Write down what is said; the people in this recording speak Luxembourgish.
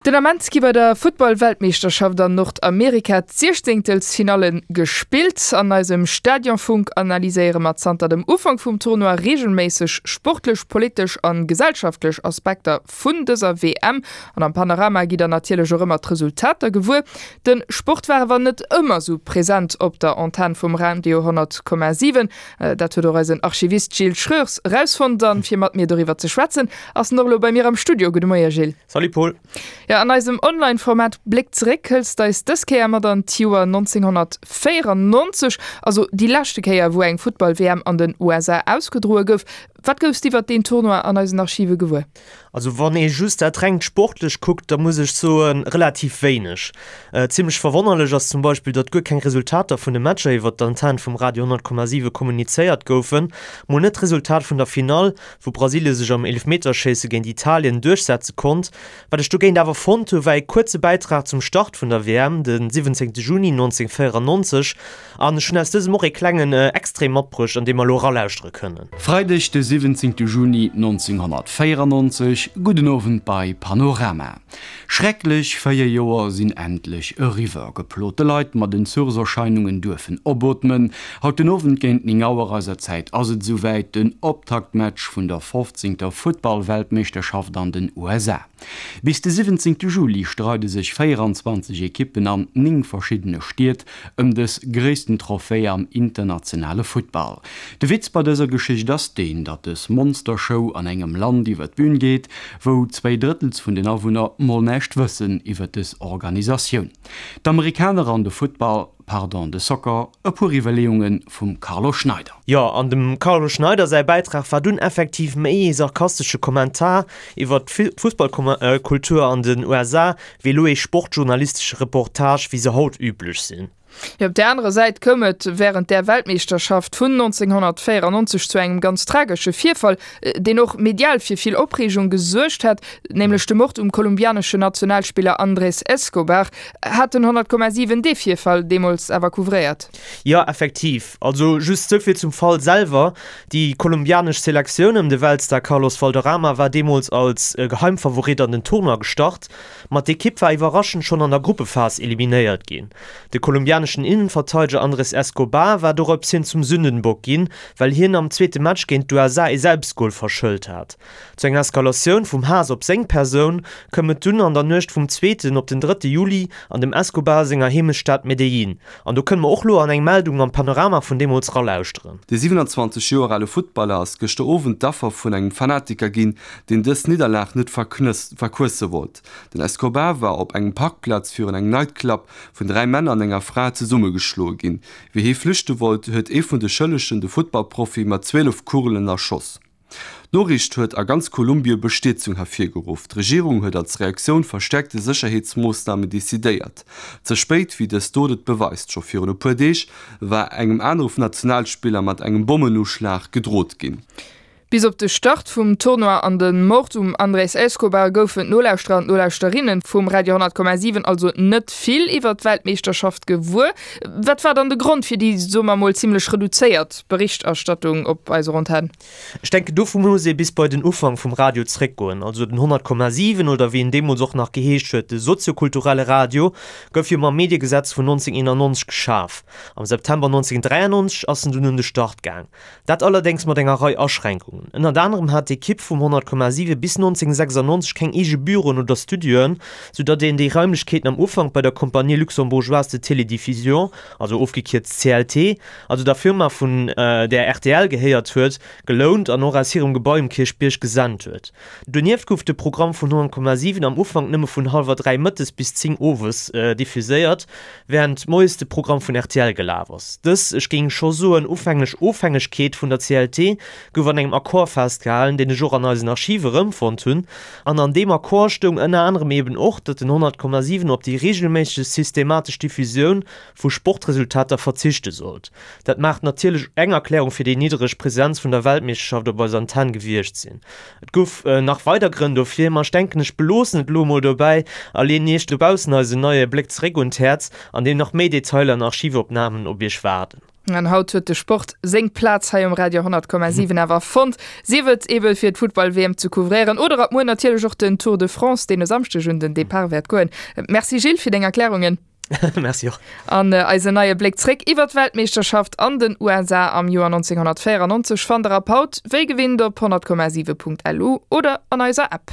Den Ament gi bei der Futtball-Weltmeeschterschaft an Nordamerika d'Siechzéngtelsfinalle gespillt. An eisem Stadionfunk analyséiere mer zanter dem Ufank vum Tournoi reegelméisseg sportlech, politesch an gesellschaftlech Aspekter vun dëser WM. An am Panorama gitt der natierlech och ëmmer d'Resultater gewuer. De Sport war awer net ëmmer sou present op der Antenn vum Radio 100,7. Dat huet och eisen Archivist Gilles Schroers erausfonnt. An fir mat mir doriwwer ze schwätzen, ass en och elo bei mir am Studio. Gudde Moie Gilles. Salut Paul. Jo, an eisem Online-Format Bléck zeréck hëls d'eis dës Kéier mat an d'Joer 1994, also déi leschte Kéier, wou eng Futtball-WM an den USA ausgedroe gouf. Wat goufs d'iwwert deen Tournoi an eisen Archive gewuer? Also wann ee just dat rengt Sportlecht kuckt, da muss ech soen, relativ wéineg. Zimmlech verwonnerlech ass zum Beispill, datt guer keng Resultater vun de Matcher iwwert d'Antenn vum Radio 100,7 kommunizéiert goufen, mol net d'Resultat vun der Finall, wou Brasilie sech am Eelefmeterschéisse géint Italien duerchsetze konnt. Wat ech dogéint awer fonnt hu war ee kuerze Bäitrag zum Start vun der WM, de 17 Juni 1994, an ech hunn aus dësem och ee klengen Extrait matbruecht, an dee mer elo eralauschtere kënnen. Freideg de 17 Juni 1994, Gudden Owend bei Panorama. Schrecklech 4 Joer sinn endlech eriwwer. Geplote Leit mat Entzuchserscheinungen duerfen opootmen. Haut den Owend géint 9 Auer eiser Zäit ass et esouwäit, den Optaktmatch vun der 15. Futtball-Weltmeeschterschaft an den USA. Bis de 17. Juli streide sech 24 Ekippen an 9 verschiddene Stied ëm dës gréissten Trophée am internationale Futtball. De Witz bei dëser Geschicht ass deen, datt dës Monstershow an engem Land iwwer d'Bün geet, wou zwéi Drëttels vun den Awunner mol näischt wëssen iwwer dës Organisatioun. D'Amerikaner an de Futtball, pardon, de Soccer, e puer Iwwerleeunge vum Carlo Schneider. Jo, an dem Carlo Schneider säi Bäitrag war dunn effektiv méi ee sarkastesche Kommentar iwwer d'Fussballkultur an den USA, wéi elo ee sportjournalistesche Reportage, wéi se haut üblech sinn. Jo, op där anerer Säit koum et wärend där Weltmeeschterschaft vun 1994 zu engem ganz tragesche Virfall, deen och medial fir vill Opreegung gesuergt hat, nämlech de Mord um kolumbianeschen Nationalspiller Andrés Escobar. Hat den 100,7 dee Virfall deemools awer couvréiert? Jo, effektiv. Also just souvill zum Fall selwer, Déi kolumbianesch Selektioun ëm de Weltstar Carlos Valderrama war deemools als Geheimfavorit an den Tournoi gestart, ma d'Ekipp war iwwerraschend schonn an der Gruppephas eliminéiert ginn. De kolumbianeschen Innenverteideger Andres Escobar war dorops hin zum Sündenbock ginn, well hien am zweete Match géint d'USA ee Selbstgol verschëlt hat. Zu enger Eskalatioun vum Haass op seng Persoun koum et dunn an der Nuecht vum zweeten op den drëtte Juli an dem Escobar senger Heemechtsstad Medellín. An do kënne mer och lo an eng Meldung am Panorama vun deemools ralauschteren. De 27 Joer ale Futtballer ass gëschter Owend d'Affer vun engem Fanatiker ginn, deen dës Nidderlag net verquësse wollt. Den Escobar war op engem Parkplaz virun engem Nightclub vun 3 Männer an enger Fra zesummegeschloe ginn. Wéi hie flüchte wollt, huet ee vun de Schëllegen de Futtballprofi mat 12 Kugelen erschoss. D'Noriicht huet a ganz Kolumbie Bestierzung hervirgeruff. D'Regierung huet als Reaktioun verstäerkte Sécherheetsmoossnamen decidéiert. Ze spéit, wéi dës Dot et beweist. Scho virun e puer Deeg war engem anere Nationalspiller mat engem Bommenuschlag gedrot ginn. Bis op de Start vum Tournoi an de Mord um Andrés Escobar goufen d'Nolauschterer an d'Nolauschterinnen vum Radio 10,7 also net vill iwwer d'Weltmeeschterschaft gewuer. Wat war dann de Grond fir déi, soe mer mol, zimmlech reduzéiert Berichterstattung op eiser Antenn? Ech denken, dofir muss ee bis bei den Ufank vum Radio zréckgoen. Also den 100,7 oder wéi en deemools och nach geheescht huet, de soziokulturelle Radio, gouf jo mam Mediegesetz vun 1991 geschaf. Am September 1993 ass en dunn un de Start gaang. Dat allerdéngs mat enger Rei Aschränkungen. Ënnert anerem hat d'Ekipp vum 100,7 bis 1996 keng eege Büroen oder Studioen, sou datt een déi Raimlechkeeten am Ufank bei der Compagnie Luxembourgeoise de Télédiffusion, also ofgekierzt CLT, also der Firma vun där rtl gehéiert huet, gelount an och aus hirem Gebai um Kierchbierg gesent huet. Donieft gouf de Programm vun 100,7 am Ufank nëmme vun hallwer 3 mëttes bis 10 owes diffuséiert, wärend moies de Programm vun rtl gelaf ass. Dës, ech géing scho soen ufänglech Ofhängegkeet vun der CLT gouf an engem Accord festgehalen, deen ech och an eisen Archive erëmfonnt hunn. An an deem Accord stoung ënner anerem eben och, datt den 100,7 op déi reegelméisseg systematesch Diffusioun vu Sportresultater verzichte sollt. Dat mag natierlech eng Erklärung fir déi niddereg Presenz vun der Weltmeeschterschaft op eiser Antenn gewiescht sinn. Et gouf nach weider Grënn dofir, ma ech denken ech beloossen et elo emol dobäi a leeën iech dobaussen eisen neie Bléck zeréck un d'Häerz, an deem nach méi Detailer an Archivopnamen op iech waarden. An haut huet de Sport seng Plaz hei um Radio 100,7 awer fonnt, sief et ebe fir d'Futtball-WM ze couvréieren oder ab muer natierlech och den Tour de France, deen e Samschdeg un den Depart wäert goen. Merci Gilles fir deng Erklärungen. Merci och. An eisen neie Bléck zréck iwwer d'Weltmeeschterschaft an den USA am Joer 1994 fannt der ab haut wéi gewinnt op 100,7.lu oder an eiser App.